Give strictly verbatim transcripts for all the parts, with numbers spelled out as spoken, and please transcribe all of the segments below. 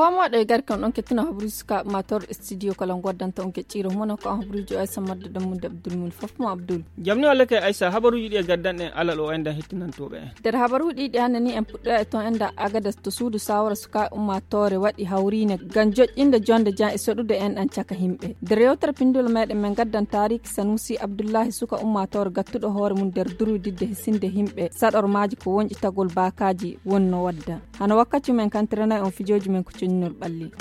fomo de gar kan on ketina habruska mator studio kala goddanta on ke ciro mono ko habrujo ay samadde dum Abdul mun fofmo Abdul jamni wala kay Aisha habaruji di gaddan en alal o enda hittinantobe der habaruji di hanani en pudda to enda agada to suudu sawara suka ummatore wadi hawrine ganjo inde jonde jan e sodude en an caka himbe der yewtar pindul meden men gaddan tarik Sanusi Abdullahi suka ummatore gattudo hoore mun der durudidde hisinde himbe sador maaji ko wonji tagol bakaji wonno wadda hana wakkati men kantrana on fijoji men ko cinnol balli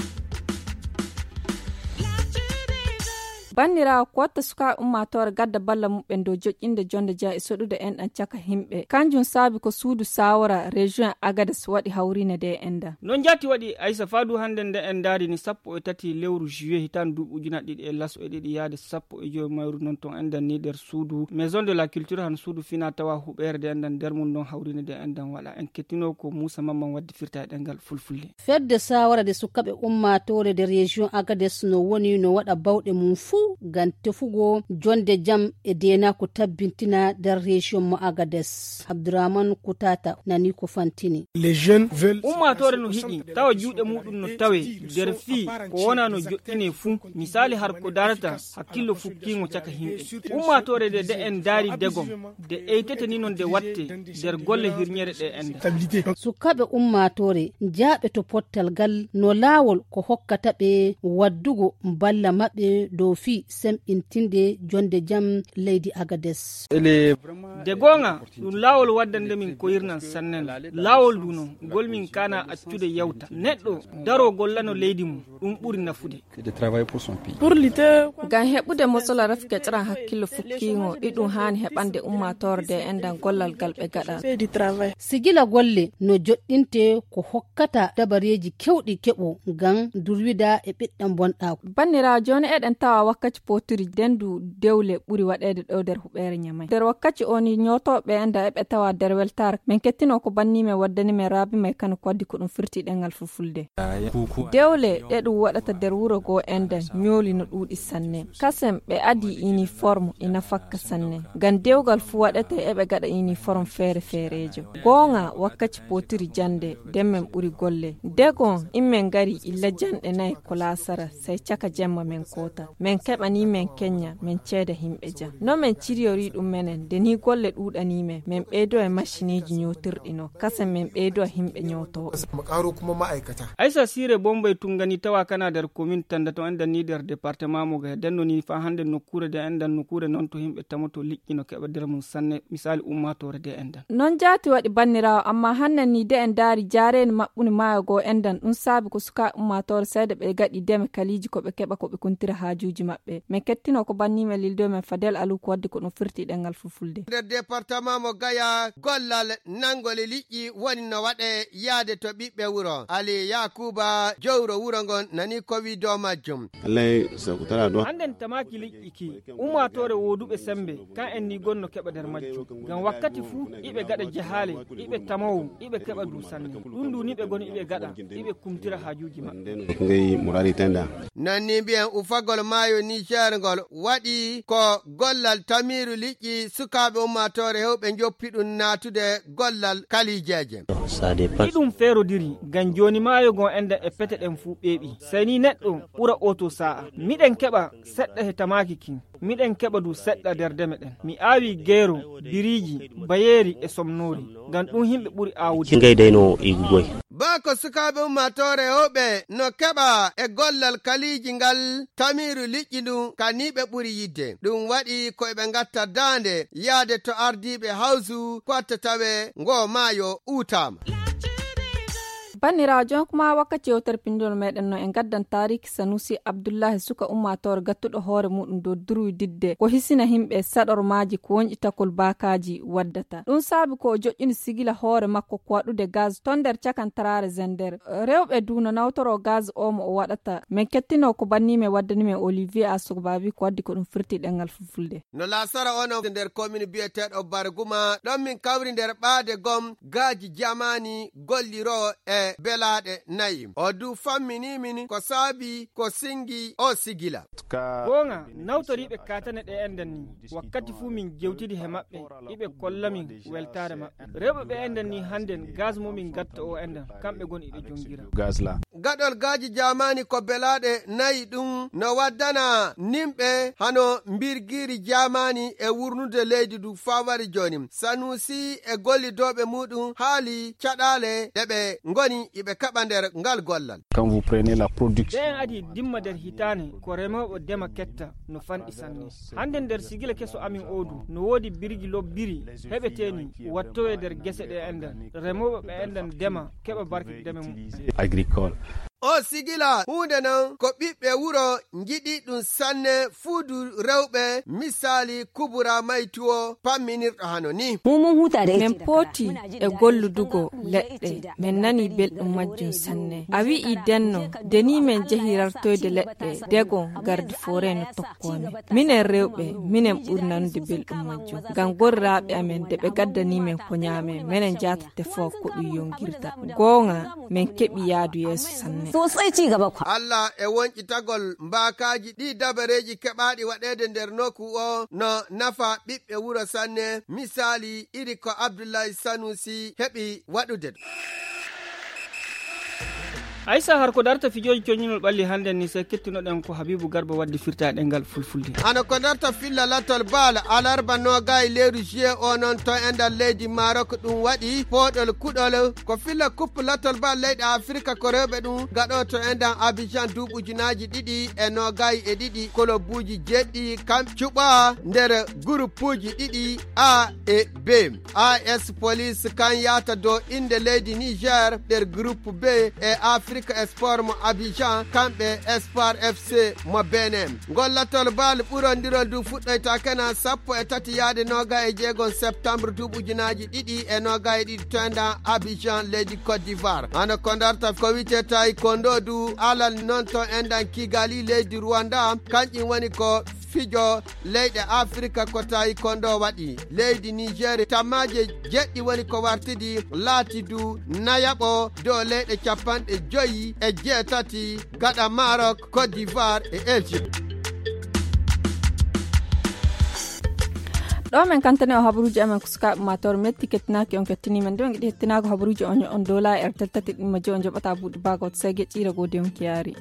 Banira kwata suka ummator gadda balla mubben do jojjinde jonde ja e sodude en an caka himbe kanjun sabi ko suudu sawara region Agadez wadi hawrine de enda non jati wadi Aisha fadu hande de en dari ni sappo e tati lewru juillet hitan dubu jina didi e laso e didi yaade sappo e joy mayru non ton enda ni der suudu maison de la culture han suudu fina tawa hubere de endan der mun don hawrine de endan wala en ketino ko Musa Mamman waddi firta dengal fulfulde fedde sawara de sukabe ummatore de region Agadez no woni no wada bawde mum fu gan tefugo jonde jam e dena ko tabbintina der region mo Agadez Abdurrahman Kutata nani ko fantini les jeunes veulent ummatore no hidi tawa juude mudum no tawe der fi ko wona no jottine fu misali har ko darata hakkillo fukkingo caka himbe ummatore de de en dari degom de eitete ni non de watte der golle hirnyere de enda sukabe ummatore jaabe to pottal gal no lawol ko hokkata be waddugo balla mabbe do fi sem intinde jonde jam leydi Agadez de gonga dum lawol waddande min ko yirnan sannen lawol duno golmin kana accude yawta neddo daro gollano leydi mum dum buri nafude pour lutter gan hebude mosola rafke tran hakkilo fukkingo didum hani hebande ummatorde endan gollal galbe gada sigila golle no joddinte ko hokkata dabareji kewdi kebo gan durwida e biddam bonda bannira joni eden tawa wakkati poturi dendu dewle buri wadede do der hubere nyamay der wakkati oni nyotobe enda e be tawa der weltar men kettino ko bannime waddani me rabi me kan ko addi ko dum firti dengal fufulde dewle de du wadata der wuro go enda nyoli no dudi sanne kasem be adi uniforme ina fakka sanne gan dewgal fu wadata e be gada uniforme fere ferejo gonga wakkati poturi jande demmen buri golle degon immen gari illa jande nay ko lasara sai chaka jemma men kota men kebani men Kenya men cede himbe ja no men ciriori dum menen de ni golle dudani me men bedo e machiniji nyotirdino kasa men bedo himbe nyoto makaro kuma ma'aikata Aisha sire bombay tungani tawa kana der commune tanda to anda ni der département mo ga denno ni fa hande nokure de enda nokure non to himbe tamoto likkino keba der mun sanne misali ummatore de enda non jati wadi bannirawo amma hannan ni de en dari jaren mabbuni maayo go endan dum sabi ko suka ummatore sayde be gadi deme kaliji ko be keba ko be kuntira hajuji mabbe me kettino ko bannime lildo men Fadel Alu ko waddi ko no firti dengal fufulde der département mo Gaya gollal nangole liƴƴi woni no wade yaade to bibbe wuro Ali Yakuba jowro wuro ngon nani ko wi do majjum Allah sakutara do anden tamaki liƴƴi ki ummatore wodube sembe kan en ni gonno keba der majjum gam wakkati fu ibe gada jahale ibe tamaw ibe keba du sanne dundu ni be goni ibe gada ibe kumtira hajuji ma ngai murari tenda nani bien ufagol mayo ni jargol wadi ko gollal tamiru liƴƴi sukabe ummatore hewbe joppidun natude gollal kalijeje idum fero diri gan joni mayo gon enda e pete den fu bebi sani neddo bura auto saa miden keba sedda he tamaki kin miden keba du sedda der deme den mi awi gero biriji bayeri e somnori gan dum himbe buri awudi ngay deyno igugoy bako sukabe ummatore hewbe no keba e gollal kaliji ngal tamiru liƴƴi dum kanibe buri yidde dum wadi ko be ngatta dande yaade to ardibe hausu ko tawe ngo mayo utama bannira jon kuma wakkati o terpindol meden no en gaddan tarik Sanusi Abdullahi suka ummator gattudo hoore mudum do duru didde ko hisina himbe sador maaji ko wonji takol bakaji waddata dum sabi ko jojjini sigila hoore makko ko wadude gaz tonder cakan tarare zender rewbe duna nawtoro gaz o mo wadata men kettino ko bannime waddani me Olivier Asugbabi ko waddi ko dum firti dengal fufulde no la sara ono der commune bietedo Barguma don min kawri der baade gom gaji jamani golliro e belade nayim o du fammini mini ko sabi ko singi o sigila gonga nawtori be katane de enden ni wakkati fu min gewtidi he mabbe ibe kollamin weltare mabbe rebe be enden ni handen gaz mo min gatta o enden kambe gon ibe jongira gazla gaɗol gaaji jamani ko belaɗe nayi ɗum no waddana nimɓe hano mbirgiri jamani e wurnude leydi du fawari joni. Sanusi e gollidoɓe muɗum haali caɗale ɗeɓe ngoni iɓe kaɓa nder ngal gollal. Quand vous prenez la production ɓen adi dimma nder hitane ko remoɓe dema ketta no fanɗi sanne. Hande nder sigila keso amin odu no wodi birgi lobbiri heɓeteni wattowe nder gese ɗe enden remoɓe ɓe enden dema keɓa barki deme mum agricole. O sigila hunde non ko ɓiɓɓe wuro giɗi ɗum sanne fuudu rewɓe misali kubura maytuwo pamminirɗo hano ni. Min pooti e golludugo leɗɗe min nani belɗum majjum sanne. A wi'i denno deni min jehi rartoyde leɗɗe dego garde forêt no tokkomi. Minen rewɓe minen ɓuri nanude belɗum majjum ngam gorraɓe amen de ɓe gaddani min ko ñaamen minen jatate fof ko ɗum yongirta. Goonga min keɓi yaadu yeeso sanne. sosai ci gaba kwa. Allah e woncitagol mbakaji ɗi dabareji keɓaɗi waɗede nder nokku o no nafa ɓiɓɓe wuro sanne misali iri ko Abdoulaye Sanusi heɓi waɗude. Aissa har ko darta fijoji coñinol ɓalli hande ni se kettinoɗen ko Habibou Garba waddi firtaɗe ngal fulfulde. Ano ko darta filla latol baal alarba noga e leyru juillet o non to e nder leydi Maroc ɗum waɗi poɗol kuɗol ko filla coupe latol baal leyɗe Afrique ko rewɓe ɗum gaɗo to e nder Abidjan duuɓujunaji ɗiɗi e nogayi e ɗiɗi kolobuji jeɗɗi kam cuɓa nder groupe uji ɗiɗi A e B. A S Police kan yata dow inde leydi Niger nder groupe B e Afrique Sport mo Abidjan kamɓe Espoir F C mo Benin. Gollatol bal ɓurondirol du fuɗɗoyta kena sappo e tati yaade noga e jeegon septembre duuɓujunaji ɗiɗi e noga e ɗiɗi toenda Abidjan leydi Côte d'Ivoire. Ano ko darta ko wite taekwondo du alal non to endan Kigali leydi Rwanda kanƴum woni ko fijo leyɗe Afrique ko taekwondo waɗi. Leydi Niger tamaje jeɗɗi woni ko wartidi laati du nayaɓo dow leyɗe capanɗe joyi e jeetati gaɗa Maroc, Côte d'Ivoire e Égypte. ɗo men kantane o habaruji amen ko sukaɓe mator metti kettinaki on kettinimen nde on giɗi hettinago habaruji on on dola e tati ɗimma jo on joɓata buuɗi bagot sege ƴira gode on kiyaari.